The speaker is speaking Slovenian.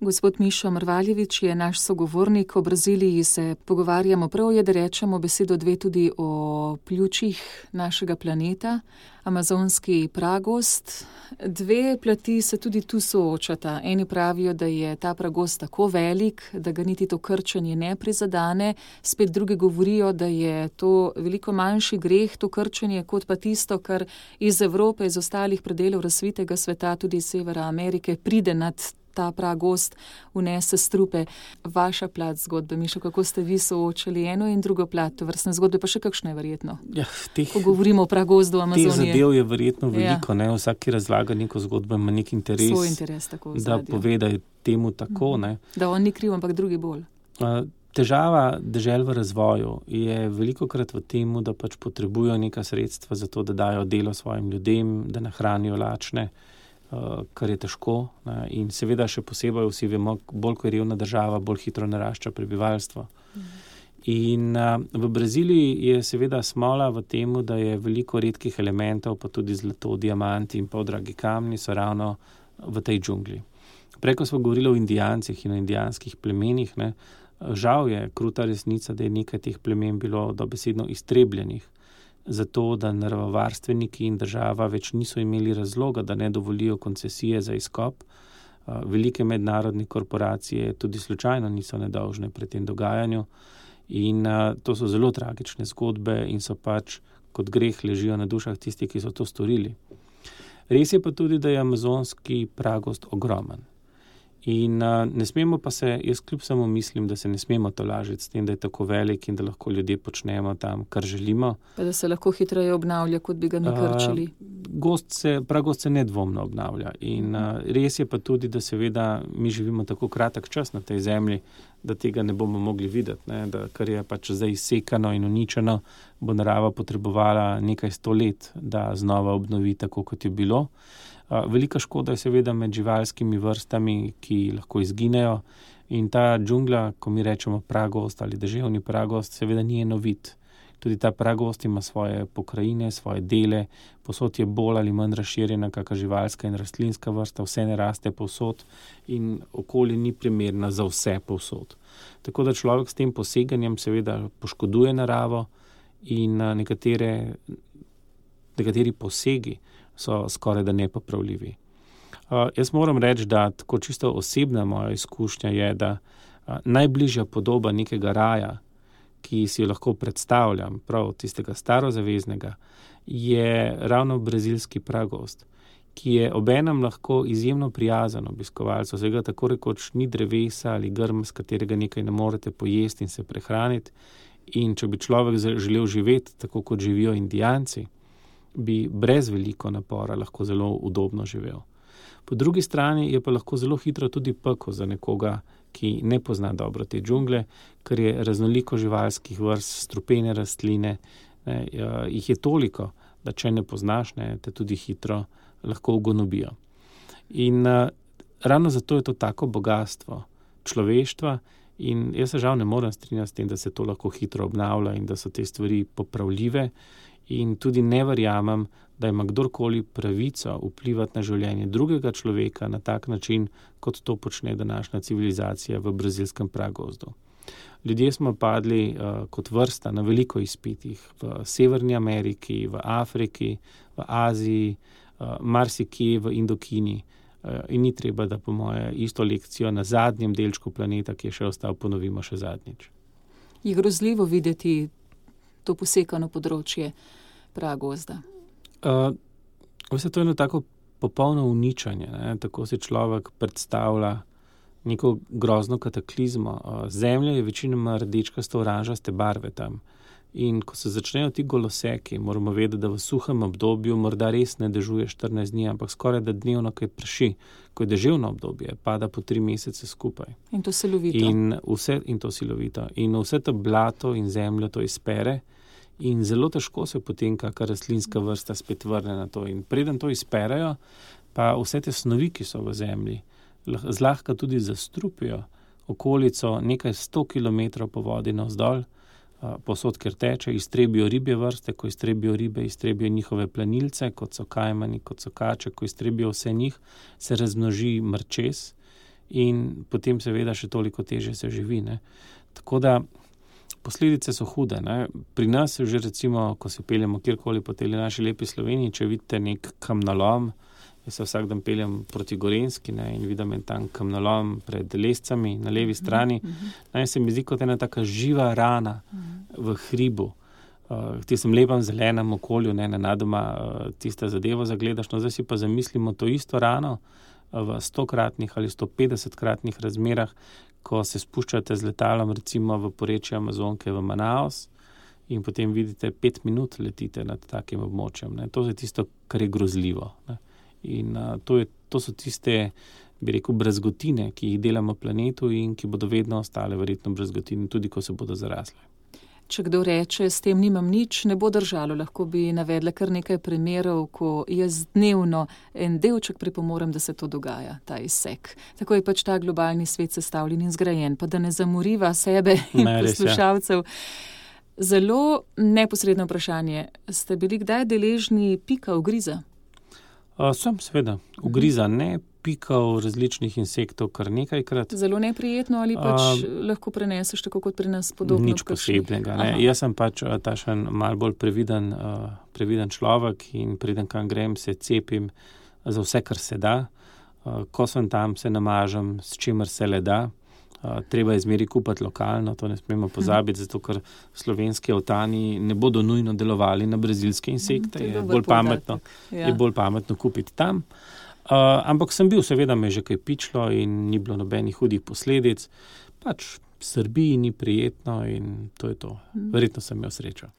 Gospod Mišo Mrvaljević je naš sogovornik. O Braziliji se pogovarjamo prav, je, da rečemo besedo dve tudi o pljučih našega planeta, amazonski pragozd. Dve plati se tudi tu soočata. Eni pravijo, da je ta pragozd tako velik, da ga niti to krčenje ne prizadane. Spet drugi govorijo, da je to veliko manjši greh, to krčenje, kot pa tisto, kar iz Evrope, iz ostalih predelov razvitega sveta, tudi iz Severa Amerike, pride nad ta pragozd, vnese strupe. Vaša plat zgodbe, Mišo, kako ste vi soočali eno in drugo plat tovrstne zgodbe, pa še kakšno je verjetno? Ja, ko govorimo o pragozdu Amazonije. Teh zadev je verjetno veliko, ne? Vsak, ki razlaga neko zgodbo, ima nek interes, svoj interes tako da pove, da je temu tako. Ne? Da on ni kriv, ampak drugi bolj. Težava dežel v razvoju je velikokrat v tem, da pač potrebujo neka sredstva za to, da dajo delo svojim ljudem, da nahranijo lačne, kar je težko. In seveda še posebej vsi vemo, bolj ko je revna država, bolj hitro narašča prebivalstvo. In v Braziliji je seveda smola v tem, da je veliko redkih elementov, pa tudi zlato, diamanti in dragi kamni so ravno v tej džungli. Preko smo govorili o Indijancih in o indijanskih plemenih. Ne. Žal je kruta resnica, da je nekaj teh plemen bilo dobesedno iztrebljenih, zato da naravovarstveniki in država več niso imeli razloga, da ne dovolijo koncesije za izkop. Velike mednarodne korporacije tudi slučajno niso nedolžne pri tem dogajanju in to so zelo tragične zgodbe in so pač kot greh ležijo na dušah tisti, ki so to storili. Res je pa tudi, da je amazonski pragozd ogromen. In ne smemo pa se, jaz kljub samo mislim, da se ne smemo tolažiti s tem, da je tako velik in da lahko ljudje počnemo tam, kar želimo. Pa da se lahko hitreje obnavlja, kot bi ga mi krčili. Pragozd se nedvomno obnavlja in res je pa tudi, da seveda mi živimo tako kratek čas na tej zemlji, da tega ne bomo mogli videti, ne? Da kar je pač zdaj izsekano in uničeno, bo narava potrebovala nekaj 100 let, da znova obnovi tako, kot je bilo. Velika škoda je seveda med živalskimi vrstami, ki lahko izginejo in ta džungla, ko mi rečemo pragozd ali deževni pragozd, seveda ni enovit. Tudi ta pragozd ima svoje pokrajine, svoje dele, povsod je bolj ali manj razširjena kakšna živalska in rastlinska vrsta, vse ne raste povsod in okolje ni primerno za vse povsod. Tako da človek s tem poseganjem seveda poškoduje naravo in nekateri posegi so skoraj da nepopravljivi. Jaz moram reči, da tako čisto osebna moja izkušnja je, da najbližja podoba nekega raja, ki si jo lahko predstavljam, prav tistega starozaveznega, je ravno brazilski pragozd, ki je obenem lahko izjemno prijazen obiskovalcu. Vsega tako rekoč ni drevesa ali grm, s katerega nekaj ne morete pojesti in se prehraniti. In če bi človek želel živeti tako, kot živijo Indijanci, bi brez veliko napora lahko zelo udobno živel. Po drugi strani je pa lahko zelo hitro tudi pekel za nekoga, ki ne pozna dobro te džungle, ker je raznoliko živalskih vrst, strupene rastline, jih je toliko, da če ne poznaš, te tudi hitro lahko ugonobijo. In ravno zato je to tako bogatstvo človeštva in jaz se žal ne morem strinjati s tem, da se to lahko hitro obnavlja in da so te stvari popravljive. In tudi ne verjamem, da ima kdorkoli pravico vplivati na življenje drugega človeka na tak način, kot to počne današnja civilizacija v brazilskem pragozdu. Ljudje smo padli kot vrsta na veliko izpitih v Severni Ameriki, v Afriki, v Aziji, marsikje v Indokini. In ni treba, da po moje isto lekcijo na zadnjem delčku planeta, ki je še ostal, ponovimo še zadnjič. Je grozljivo videti to posekano področje pragozda? Vse to je eno tako popolno uničenje, ne? Tako si človek predstavlja neko grozno kataklizmo. Zemlja je večinoma rdečkasto oranžaste barve tam. In ko se začnejo ti goloseki, moramo vedeti, da v suhem obdobju morda res ne dežuje 14 dni, ampak skoraj da dnevno, kaj prši. Ko je deževno obdobje, pada po 3 mesece skupaj. In to silovito. In to silovito. In vse to blato in zemljo to izpere in zelo težko se potem kakšna rastlinska vrsta spet vrne na to. In preden to izperejo, pa vse te snovi, ki so v zemlji, zlahka tudi zastrupijo okolico nekaj 100 kilometrov po vodi navzdol, posod, kjer teče, iztrebijo ribje vrste, ko iztrebijo ribe, iztrebijo njihove planilce, kot so kajmani, kot so kače, ko iztrebijo vse njih, se razmnoži mrčes in potem seveda še toliko težje se živi. Ne. Tako da posledice so hude. Ne. Pri nas že recimo, ko se peljemo kjerkoli po tej naši lepi Sloveniji, če vidite nek kamnolom, jaz se vsak dan peljem proti Gorenjski, ne, in vidim en tam kamnolom pred Lescami na levi strani. Naj se mi zdi kot ena taka živa rana v hribu. V tistem lepem zelenem okolju, ne, nenadoma tista zadevo zagledaš. No, zdaj si pa zamislimo to isto rano v 100-kratnih ali 150-kratnih razmerah, ko se spuščate z letalom recimo v porečje Amazonke v Manaus in potem vidite 5 minut letite nad takim območjem. Ne. To je tisto, kar je grozljivo. Ne. In to so tiste, bi rekel, brazgotine, ki jih delamo planetu in ki bodo vedno ostale verjetno brazgotine, tudi ko se bodo zarasle. Če kdo reče, s tem nimam nič, ne bo držalo. Lahko bi navedla kar nekaj primerov, ko jaz dnevno en delček pripomorem, da se to dogaja, ta izsek. Tako je pač ta globalni svet sestavljen in zgrajen, pa da ne zamoriva sebe in poslušalcev. Zelo neposredno vprašanje. Ste bili kdaj deležni pika ugriza? Sem, seveda. Ugriza ne, pikal različnih insektov kar nekajkrat. Zelo neprijetno ali pač lahko preneseš tako kot pri nas podobno? Nič posebnega. Ne. Jaz sem pač tašen malo bolj previden človek in preden kam grem, se cepim za vse, kar se da. Ko sem tam, se namažem, s čimer se le da. Treba je zmeri kupati lokalno, to ne smemo pozabiti, zato ker slovenski avtani ne bodo nujno delovali na brazilske insekte. Je bolj pametno kupiti tam. Ampak sem bil, seveda me je že kaj pičlo in ni bilo nobenih hudih posledic. Pač Srbiji ni prijetno in to je to. Verjetno sem imel srečo.